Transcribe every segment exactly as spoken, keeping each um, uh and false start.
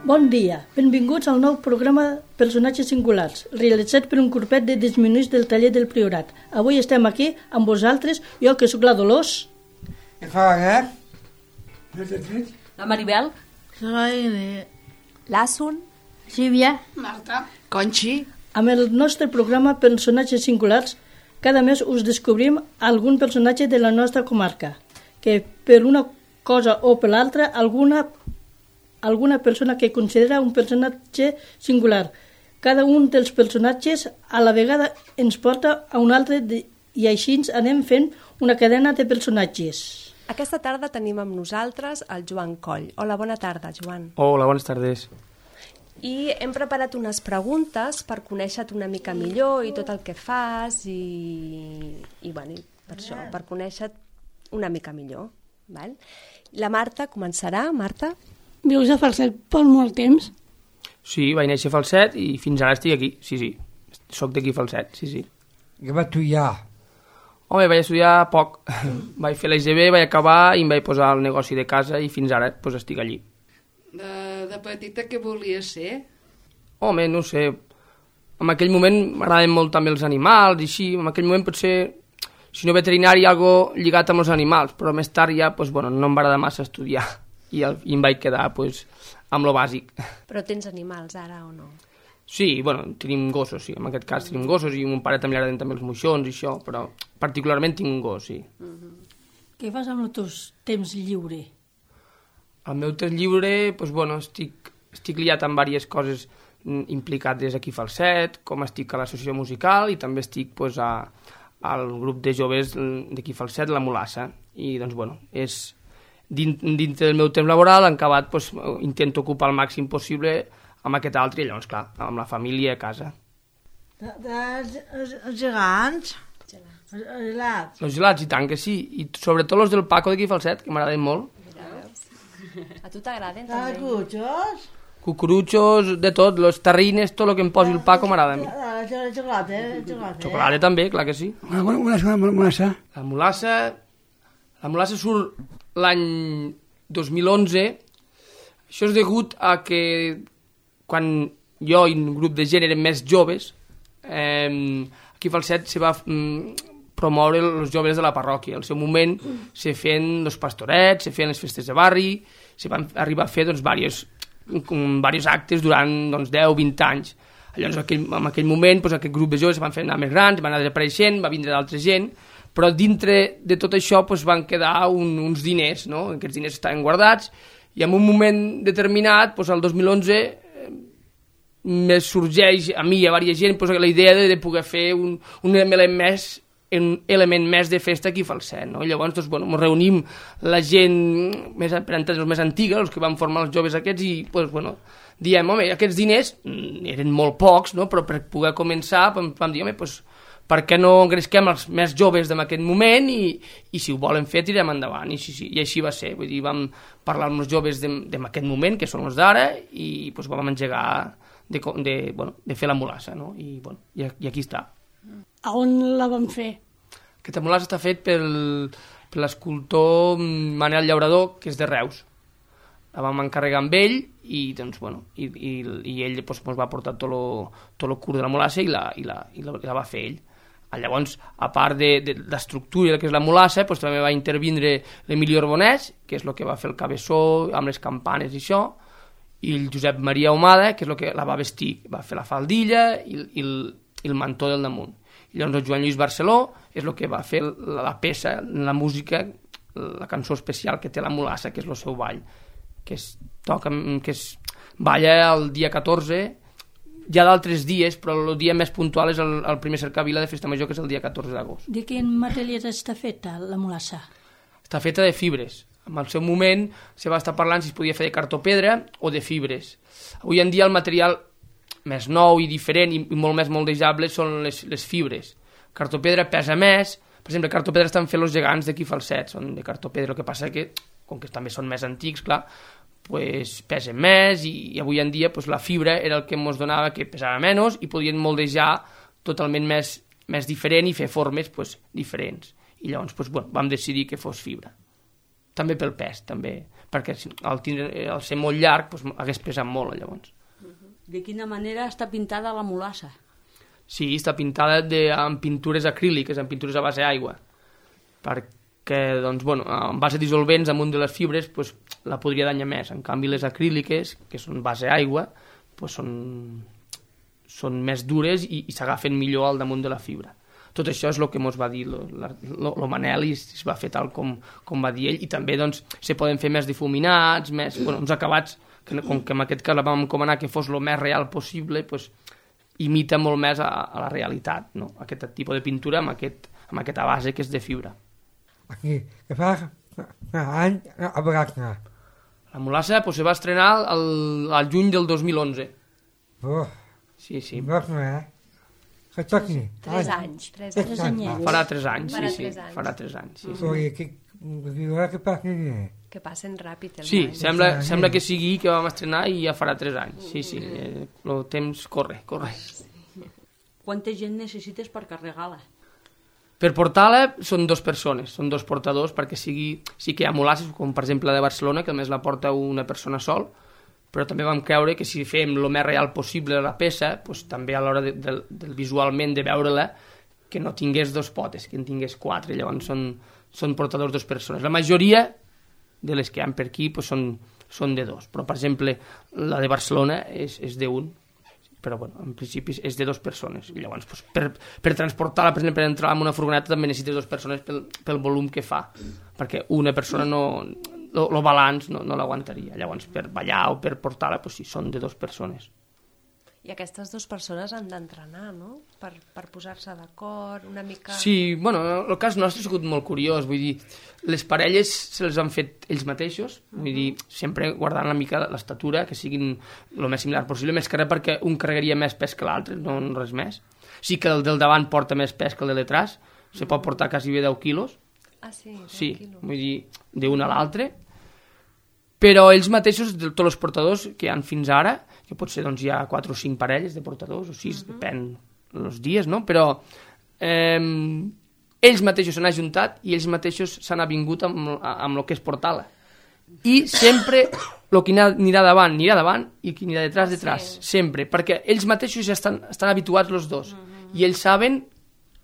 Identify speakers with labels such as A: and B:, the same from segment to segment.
A: Bon dia, benvinguts al nou programa Personatges Singulars, realitzat per un grupet de disminuïts del taller del Priorat. Avui estem aquí amb vosaltres, jo que sóc la Dolors.
B: Què fa, eh?
C: La Maribel.
D: La Irene.
C: L'Assun.
D: Sílvia.
E: Marta.
D: Conxi.
A: Amb el nostre programa Personatges Singulars, cada mes us descobrim algun personatge de la nostra comarca, que per una cosa o per l'altra, alguna, alguna persona que considera un personatge singular. Cada un dels personatges a la vegada ens porta a un altre de, i així anem fent una cadena de personatges.
C: Aquesta tarda tenim amb nosaltres el Joan Coll. Hola, bona tarda, Joan.
F: Hola, bones tardes.
C: I hem preparat unes preguntes per conèixer-te una mica millor i tot el que fas i, i bueno, per això, per conèixer-te una mica millor. Val? La Marta començarà. Marta?
E: Vius a Falset per molt temps?
F: Sí, vaig néixer a Falset i fins ara estic aquí, sí, sí. Soc d'aquí a Falset, sí, sí.
B: Què va estudiar?
F: Home, vaig estudiar poc. Vaig fer l'E G B, vaig acabar i em vaig posar al negoci de casa i fins ara pues, estic allí.
D: De, de petita què volies ser?
F: Home, no sé, en aquell moment m'agraden molt també els animals i així, en aquell moment potser, si no veterinari, algo lligat amb els animals, però més tard ja, pues, bueno, no em va agradar massa estudiar i, el, i em vaig quedar pues, amb lo bàsic.
C: Però tens animals ara o no?
F: Sí, bueno, tenim gossos, sí, en aquest cas tenim gossos i a mon pare també li agraden també els moixons i això, però particularment tinc un gos, sí.
A: Mm-hmm. Què fas amb el teu temps lliure?
F: El meu temps lliure, doncs, bueno, estic, estic liat amb diverses coses implicades aquí a Falset, com estic a l'associació musical i també estic pues, a, al grup de joves d'aquí a Falset, la Mulassa, i doncs, bueno, és dins, dins del meu temps laboral, en acabat, pues, intento ocupar el màxim possible amb aquest altre, i llavors, clar, amb la família a casa.
D: De, de, els, els gegants? Els, els gelats?
F: Els gelats, i tant que sí, i sobretot els del Paco d'aquí a Falset, que m'agraden molt.
C: A tu t'agraden
D: també? Cucurutxos?
F: Cucurutxos, de tot, los terrines, tot el que em posi el Paco m'agrada.
D: El xocolata, el xocolata.
F: Xocolata també, clar que sí.
B: Una, una, una, una mulassa.
F: La mulassa, la mulassa surt l'any dos mil onze. Això és degut a que quan jo i un grup de gent érem més joves, eh, aquí a Falset se va mm, promoure els joves de la parròquia. Al seu moment se feien els pastorets, se feien les festes de barri, se van arribar a fer doncs, diversos, diversos actes durant doncs, deu vint anys. Llavors, en aquell, en aquell moment, doncs, aquest grup de joves van fer anar més grans, van anar desapareixent, va vindre d'altra gent, però dintre de tot això doncs, van quedar un, uns diners, no? Aquests diners estaven guardats, i en un moment determinat, doncs, el dos mil onze, me sorgeix a mi i a diversa gent doncs, la idea de, de poder fer un, un element més un element més de festa aquí a Falset, no? Llavors, doncs, bueno, ens reunim la gent més, per entendre, els més antiga, els que van formar els joves aquests, i, doncs, bueno, diem, home, aquests diners eren molt pocs, no? Però per poder començar, vam dir, home, doncs, per què no engresquem els més joves d'aquest moment i, i si ho volen fer, tirem endavant, i, sí, sí, i així va ser, vull dir, vam parlar amb els joves d'aquest moment, que són els d'ara, i doncs, vam engegar de, de, bueno, de fer la mulassa, no? I, bueno, i, i aquí està.
E: A on la van fer?
F: Aquesta mulassa està fet pel, per l'escultor Manel Llaurador, que és de Reus. La vam encarregar amb ell i, doncs, bueno, i, i, i ell doncs, ens va portar tot lo, tot lo curt de la mulassa i la, i la, i la, i la va fer ell. Llavors, a part de, de l'estructura que és la mulassa, doncs, també va intervindre l'Emili Orbonès, que és el que va fer el cabeçó amb les campanes i això, i el Josep Maria Ahumada, que és el que la va vestir, va fer la faldilla i, i, el, i el mantó del damunt. I llavors el Joan Lluís Barceló és el que va fer la, la peça, la música, la cançó especial que té la mulassa, que és el seu ball, que es toca, que es balla el dia catorze, hi ha d'altres dies, però el dia més puntual és el, el primer cercavila de Festa Major, que és el dia catorze d'agost.
A: De quin material està feta la mulassa?
F: Està feta de fibres. En el seu moment se va estar parlant si es podia fer de cartopedra o de fibres. Avui en dia el material més nou i diferent i molt més moldejable són les, les fibres. Cartopedra pesa més, per exemple, cartopedra estan fent els gegants d'aquí a Falset, són de cartopedra, el que passa que, com que també són més antics, clar, pues, pesen més i, i avui en dia pues, la fibra era el que ens donava que pesava menys i podien moldejar totalment més, més diferent i fer formes pues, diferents. I llavors pues, bueno, vam decidir que fos fibra. també pel pes, també, perquè al, tindre, al ser molt llarg doncs, hagués pesat molt, llavors.
G: De quina manera està pintada la mulassa?
F: Sí, està pintada de, amb pintures acríliques, amb pintures a base d'aigua, perquè, doncs, bueno, en base dissolvents amunt de les fibres doncs, la podria danyar més. En canvi, les acríliques, que són base d'aigua, doncs, són, són més dures i, i s'agafen millor al damunt de la fibra. Tot això és el que ens va dir el Manel i es va fer tal com, com va dir ell, i també doncs, se poden fer més difuminats, més, bueno, uns acabats, que, com que en aquest cas la vam encomanar que fos el més real possible, doncs, imita molt més a, a la realitat, no? Aquest tipus de pintura amb, aquest, amb aquesta base que és de fibra.
B: Aquí, que fa any a Bracna.
F: La mulassa pues, se va estrenar al, al juny del dos mil onze.
B: Oh,
F: sí, sí.
B: Bracna, eh? Que toqui.
C: Tres anys. Tres anys.
B: anys.
F: Farà tres anys,
C: Farà
F: sí, sí.
C: tres anys.
F: Farà tres anys, sí, sí.
B: Oi, que, que passa
C: Que passen ràpid els
F: Sí,
C: anys.
F: sembla, sembla que sigui que vam estrenar i ja farà tres anys. Sí, sí, eh, el temps corre, corre.
G: Quanta gent necessites per carregar-la?
F: Per portar-la són dues persones, són dos portadors perquè sigui... Sí que hi ha mulasses, com per exemple la de Barcelona, que només la porta una persona sol, però també vam creure que si fem el més real possible la peça, doncs també a l'hora de, de, de, visualment de veure-la, que no tingués dos potes, que en tingués quatre, llavors són, són portadors dues persones. La majoria de les que hi ha per aquí doncs són, són de dos, però per exemple la de Barcelona és, és d'un, però bueno, en principi és de dues persones. I llavors doncs, per, per transportar-la, per exemple, per entrar en una furgoneta també necessites dues persones pel, pel volum que fa, perquè una persona no... el balanç no, no l'aguantaria. Llavors, per ballar o per portar-la, doncs sí, són de dues persones.
C: I aquestes dues persones han d'entrenar, no? Per, per posar-se d'acord, una mica...
F: Sí, bueno, el cas nostre ha sigut molt curiós, vull dir, les parelles se les han fet ells mateixos, vull dir, sempre guardant una mica l'estatura, que siguin el més similar possible, més que res perquè un carregaria més pes que l'altre, no res més. Sí que el del davant porta més pes que el de detrás, se pot portar quasi bé deu quilos,
C: Ah, sí,
F: sí,
C: tranquil·lo.
F: vull dir, d'un a l'altre, però ells mateixos, de tots els portadors que hi ha fins ara, que potser doncs, hi ha quatre o cinc parelles de portadors, o sis, uh -huh. depèn els dies, no? Però eh, ells mateixos s'han ajuntat i ells mateixos s'han avingut amb, amb el que és portar-la. I sempre el que anirà davant, anirà davant, i qui anirà detrás, detrás, sí. Sempre, perquè ells mateixos ja estan, estan habituats els dos, uh -huh. i ells saben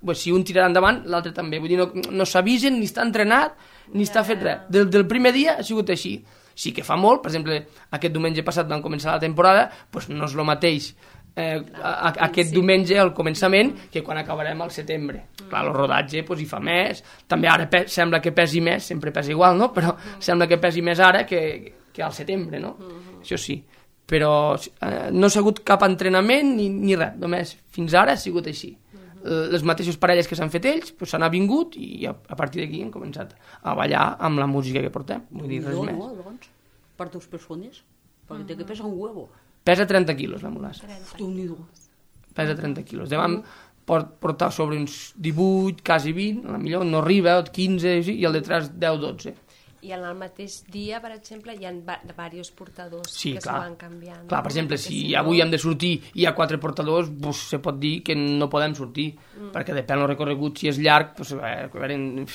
F: pues, si un tirarà endavant, l'altre també. Vull dir, no, no s'avisen, ni està entrenat, ni yeah. està fet res. Del, del primer dia ha sigut així. Sí que fa molt, per exemple, aquest diumenge passat van començar la temporada, doncs no és el mateix eh, a, a, aquest diumenge al començament que quan acabarem al setembre. Clar, el rodatge doncs, hi fa més, també ara pe sembla que pesi més, sempre pesa igual, no? Però sembla que pesi més ara que, que al setembre, no? Això sí. Però eh, no s'ha hagut cap entrenament ni, ni res, només fins ara ha sigut així. Les mateixes parelles que s'han fet ells s'han pues, avingut i a, a partir d'aquí hem començat a ballar amb la música que portem, vull dir, res
G: no,
F: més.
G: No, doncs, per dues persones, perquè uh -huh. té que pesar un huevo.
F: Pesa trenta quilos la mulassa.
G: Déu-n'hi-do.
F: Pesa trenta quilos. Demà pot portar sobre uns divuit, quasi vint, potser no arriba, quinze, i el detrás deu dotze.
C: I en el mateix dia, per exemple, hi ha diversos portadors
F: sí,
C: que
F: clar.
C: s'ho van canviant.
F: Clar, per exemple, si, si avui no... hem de sortir i hi ha quatre portadors, pues, se pot dir que no podem sortir, mm. perquè depèn del recorregut, si és llarg, pues, eh,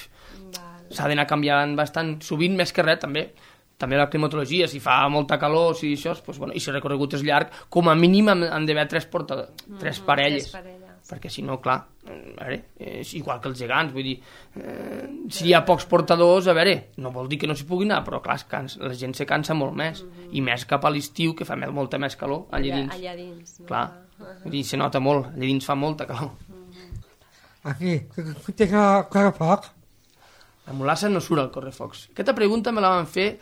F: s'ha d'anar canviant bastant, sovint més que res, també. També la climatologia, si fa molta calor, si això, pues, bueno, i si el recorregut és llarg, com a mínim han d'haver tres, portadors, tres mm, parelles. Tres parelles. Perquè si no, clar, a veure, és igual que els gegants, vull dir, eh, si hi ha pocs portadors, a veure, no vol dir que no s'hi pugui anar, però clar, cansa, la gent se cansa molt més, mm -hmm. i més cap a l'estiu, que fa molta més calor, allà dins.
C: Allà dins, no?
F: Clar, vull dir, se nota molt, allà dins fa molta calor.
B: Mm -hmm. Aquí, que té que correfoc?
F: La mulassa no surt al correfocs. Aquesta pregunta me la van fer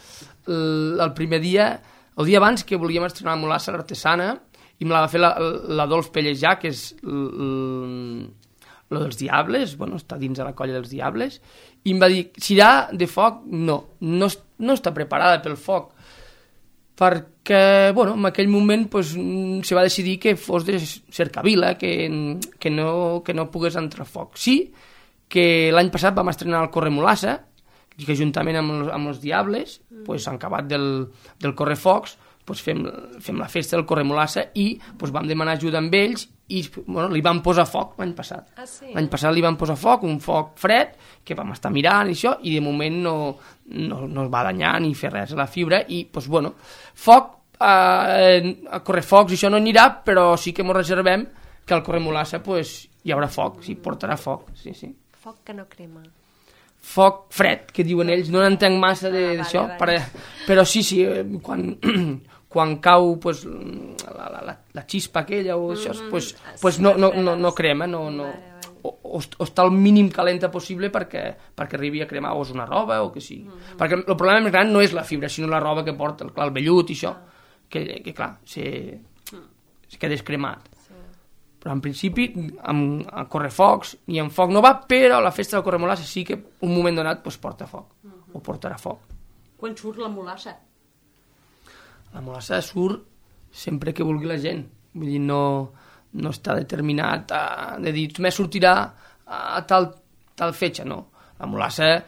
F: el, el primer dia, el dia abans que volíem estrenar la mulassa l'artesana, i me la va fer l'Adolf Pellejà, que és el dels Diables, bueno, està dins de la colla dels Diables, i em va dir, si irà de foc, no, no, no està preparada pel foc, perquè, bueno, en aquell moment pues, se va decidir que fos de cercavila, que, que, no, que no pogués entrar foc. Sí, que l'any passat vam estrenar el Corre Mulassa, que juntament amb els, amb els Diables, pues, en acabat del, del correfocs, pues fem, fem la festa del Corre Mulassa i pues vam demanar ajuda amb ells i bueno, li van posar foc l'any passat.
C: Ah, sí?
F: L'any passat li van posar foc, un foc fred, que vam estar mirant i això, i de moment no, no, no es va danyar ni fer res a la fibra, i, doncs, bueno, foc, eh, a correfocs i això no anirà, però sí que ens reservem que al Corremolassa, pues, hi haurà foc, sí, portarà foc, sí, sí.
C: Foc que no crema.
F: Foc fred, que diuen ells, no n'entenc massa d'això,
C: ah, vale, vale.
F: però sí, sí, quan... quan cau pues, la, la, la, la xispa aquella o això, mm -hmm. pues, pues no, no, no, no crema, no, no, vale, vale. O, o, o està el mínim calenta possible perquè, perquè arribi a cremar o és una roba o que sigui. Mm -hmm. Perquè el problema més gran no és la fibra, sinó la roba que porta, el, clar, el vellut i això, ah. que, que clar, se, se queda descremat. Sí. Però en principi, amb, amb correfocs ni amb foc no va, però la festa del Corremolassa sí que un moment donat pues, porta foc, mm -hmm. o portarà foc.
G: Quan surt la mulassa?
F: La mulassa surt sempre que vulgui la gent. Vull dir, no, no està determinat a, de dir, només sortirà a tal, tal fetge, no. La mulassa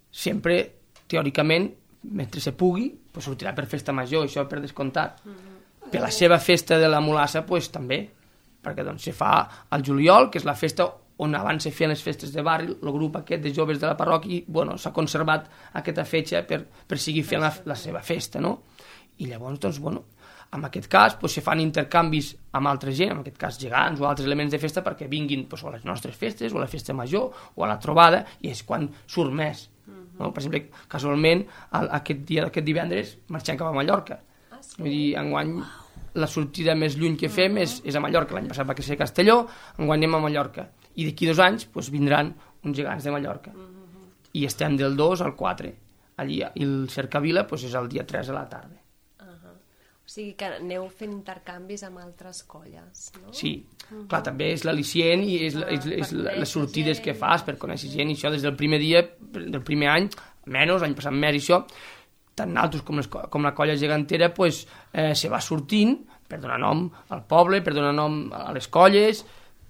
F: sempre, teòricament, mentre se pugui, pues sortirà per festa major, això per descomptat. Mm-hmm. Per la seva festa de la mulassa, pues també, perquè doncs se fa al juliol, que és la festa on abans se feien les festes de barri, el grup aquest de joves de la parròquia, i bueno, s'ha conservat aquesta fetge per, per seguir fent la, la seva festa, no? I llavors, doncs, bueno, en aquest cas doncs, se fan intercanvis amb altra gent, en aquest cas gegants o altres elements de festa perquè vinguin doncs, a les nostres festes o a la festa major o a la trobada, i és quan surt més. Uh-huh. No? Per exemple, casualment, aquest dia aquest divendres marxem cap a Mallorca. Ah, sí? Vull dir, enguany wow. la sortida més lluny que fem uh-huh. és, és a Mallorca. L'any passat va ser a Castelló, enguany anem a Mallorca. I d'aquí dos anys doncs, vindran uns gegants de Mallorca. Uh-huh. I estem del dos al quatre. Allí, i el Cercavila doncs, és el dia tres a la tarda.
C: O sigui que aneu fent intercanvis amb altres colles, no?
F: Sí, uh-huh. clar, també és l'al·licient i és, ah, és, és les sortides gent. Que fas per conèixer gent, i això des del primer dia, del primer any, menys, l'any passat més i això, tant nosaltres com, les, com la colla gegantera, pues, eh, se va sortint per donar nom al poble, per donar nom a les colles,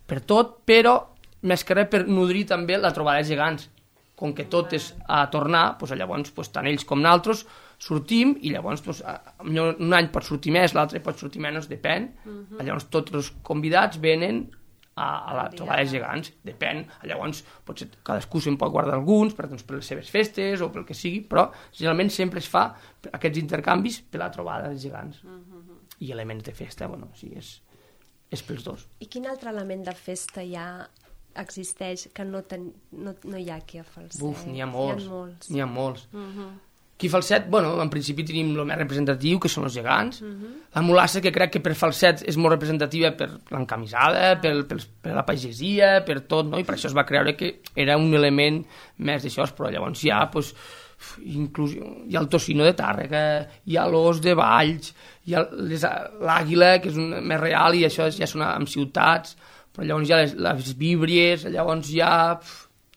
F: per tot, però més que res per nodrir també la trobada de gegants. Com que tot és a tornar, pues, llavors pues, tant ells com nosaltres sortim, i llavors pues, un any pot sortir més, l'altre pot sortir menys, depèn. Uh-huh. Llavors tots els convidats venen a, a la trobada de gegants, depèn. Llavors potser cadascú se'n pot guardar alguns per, doncs, per les seves festes o pel que sigui, però generalment sempre es fa aquests intercanvis per la trobada de gegants. Uh-huh. I elements de festa, bueno, sí, és, és pels dos.
C: I quin altre element de festa hi ha existeix que no, ten, no, no hi ha aquí a Falset?
F: Uf, n'hi ha molts,
C: n'hi ha molts.
F: N'hi ha molts.
C: Uh-huh.
F: Aquí a Falset, bueno, en principi tenim el més representatiu, que són els gegants. Uh-huh. La mulassa, que crec que per Falset és molt representativa per l'encamisada, uh-huh. per, per, per la pagesia, per tot, no? I per això es va creure que era un element més d'això, però llavors hi ha, pues, inclús, hi ha el tocino de Tàrrega, hi ha l'os de Valls, hi ha les, l'àguila, que és un, més real, i això ja són en ciutats, però llavors hi ha les, les víbries, llavors hi ha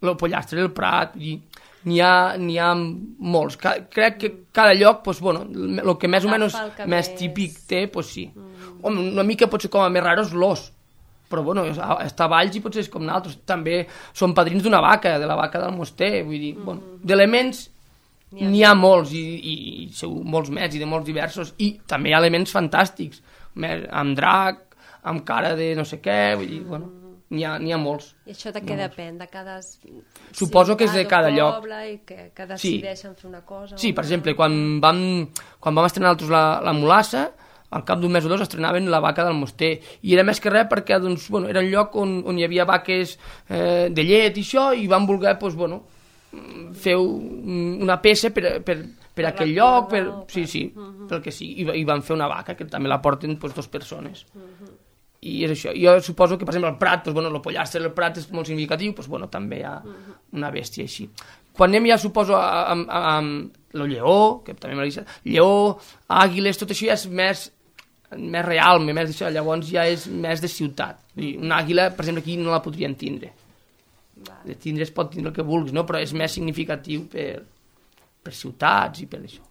F: el pollastre del Prat, i n'hi ha, n'hi ha molts. Crec que cada lloc, pues, bueno, el que més o menys més típic té, pues, sí. Mm. Home, una mica potser com a més raro és l'os, però bueno, està a Valls i potser és com nosaltres. També són padrins d'una vaca, de la vaca del Moster, vull dir, mm. bueno, d'elements n'hi ha, n'hi ha molts, i, i, i segur, molts més, i de molts diversos, i també hi ha elements fantàstics, amb drac, amb cara de no sé què, vull dir, bueno, n'hi ha, n'hi ha molts.
C: I això de què depèn? De cada
F: Suposo que és de cada lloc.
C: I que, que decideixen sí. fer una cosa.
F: Sí, per exemple, quan vam, quan vam estrenar nosaltres la, la mulassa, al cap d'un mes o dos estrenaven la vaca del Moster, i era més que res perquè doncs, bueno, era un lloc on, on hi havia vaques eh, de llet i això, i van voler doncs, bueno, fer una peça per, per, per aquell lloc, per, sí, sí, uh-huh. pel que sí, i, i van fer una vaca, que també la porten doncs, dos persones. Uh-huh. I és això. Jo suposo que, per exemple, el Prat, doncs, bueno, el pollastre del Prat és molt significatiu, doncs, bueno, també hi ha una bèstia així. Quan anem ja, suposo, amb el lleó, que també m'ha dit, lleó, àguiles, tot això ja és més, més real, més d'això, llavors ja és més de ciutat. Una àguila, per exemple, aquí no la podrien tindre. De tindre es pot tindre el que vulguis, no? Però és més significatiu per, per ciutats i per això.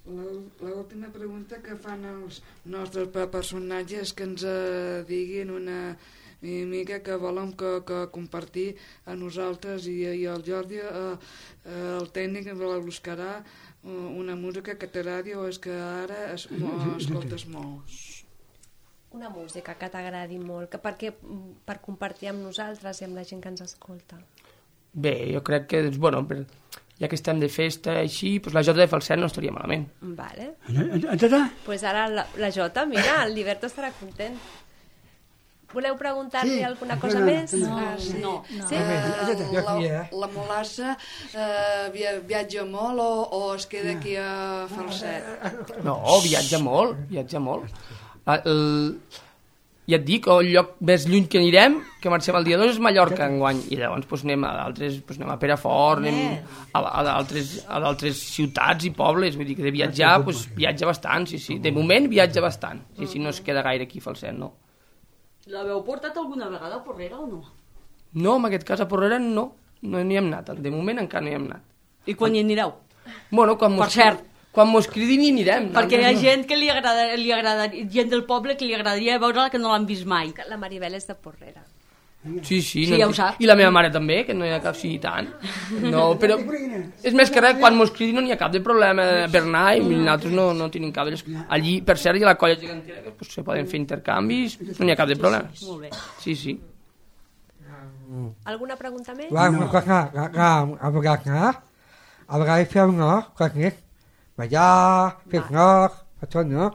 H: L'última pregunta que fan els nostres personatges, que ens eh, diguin una mica que volen que, que compartir a nosaltres i, i al Jordi, eh, eh, el tècnic ens la buscarà una música que t'agradi o és que ara es, escoltes molt.
C: Una música que t'agradi molt, que perquè, per compartir amb nosaltres i amb la gent que ens escolta.
F: Bé, jo crec que, doncs, bueno, per, ja que estem de festa així, doncs la Jota de Falset no estaria malament.
C: Vale.
B: Doncs
C: pues ara la, la Jota, mira, el Liberto estarà content. Voleu preguntar-li
B: Sí,
C: alguna
B: no,
C: cosa
B: no,
C: més?
G: No,
H: Ah, sí.
G: no.
C: Sí?
H: Eh, la, la Molassa eh, via, viatja molt o, o es queda aquí a Falset?
F: No, viatja molt, viatja molt. La, el, ja et dic, el lloc més lluny que anirem, que marxem el dia dos, és Mallorca enguany, i llavors doncs, anem a d'altres, doncs, anem a Perafort, anem a, a d'altres a d'altres ciutats i pobles, vull dir que de viatjar, doncs, viatja bastant, sí, sí, de moment viatja bastant, sí, sí, no es queda gaire aquí a Falset, no.
G: L'haveu portat alguna vegada a Porrera o no?
F: No, en aquest cas a Porrera no, no hi hem anat, de moment encara no hi hem anat.
G: I quan hi anireu?
F: Bueno, quan mos,
G: Per cert.
F: quan mos cridin hi anirem.
G: Perquè hi ha gent que li agrada, li agrada, gent del poble que li agradaria veure-la que no l'han vist mai.
C: La Maribel és de Porrera.
F: Sí, sí,
G: Sí,
F: no,
G: ja ho sap.
F: I la meva mare també, que no hi ha cap sí, tant. No, però és més que res, quan mos cridin no hi ha cap de problema per anar i nosaltres no, no tenim cap de... Allí, per cert, hi ha la colla gegantera, que pues, se poden fer intercanvis, no hi ha cap de problema.
G: Molt bé.
F: Sí, sí.
C: Alguna pregunta més?
B: Una cosa, a vegades, a vegades fem no, coses, ballar, fer no, tot no.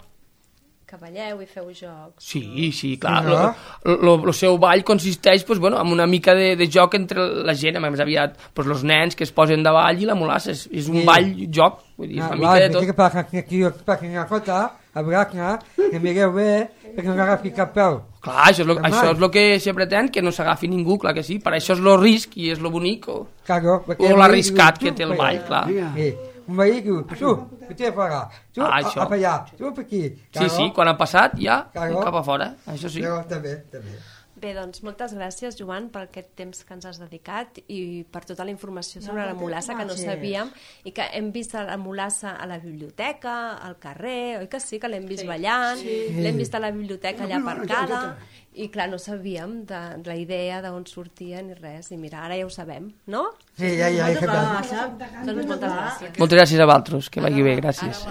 C: Que balleu i feu jocs.
F: Sí, sí, clar.
B: Sí,
F: El seu ball consisteix pues, bueno, en una mica de, de joc entre la gent, més aviat pues, els nens que es posen de ball i la mulassa. És, és un
B: Sí.
F: ball, joc, vull dir, és una mica de tot.
B: Que passa aquí, passa una cosa, a vegades, que mireu bé, perquè no agafi cap peu.
F: Clar, això és, lo,
B: Normal.
F: això és el que se pretén, que no s'agafi ningú, clar que sí. Per això és el risc i és lo bonic o,
B: Claro,
F: o l'arriscat que té el ball, clar.
B: Sí. Un veí diu, tu, que t'he pagar, tu,
F: Ah,
B: a,
F: això.
B: a allà, tu per aquí.
F: Sí, sí, quan ha passat ja
B: Claro.
F: cap a fora, això sí.
B: Jo també, també.
C: Bé, doncs moltes gràcies, Joan, per aquest temps que ens has dedicat i per tota la informació sobre la mulassa que no sabíem i que hem vist la mulassa a la biblioteca, al carrer, oi que sí, que l'hem vist ballant, l'hem vist a la biblioteca allà aparcada i clar, no sabíem de, de la idea d'on sortia ni res i mira, ara ja ho sabem, no?
B: Sí, ja, ja, ja.
C: Doncs moltes gràcies.
F: Moltes gràcies a vosaltres, que vagi bé, gràcies.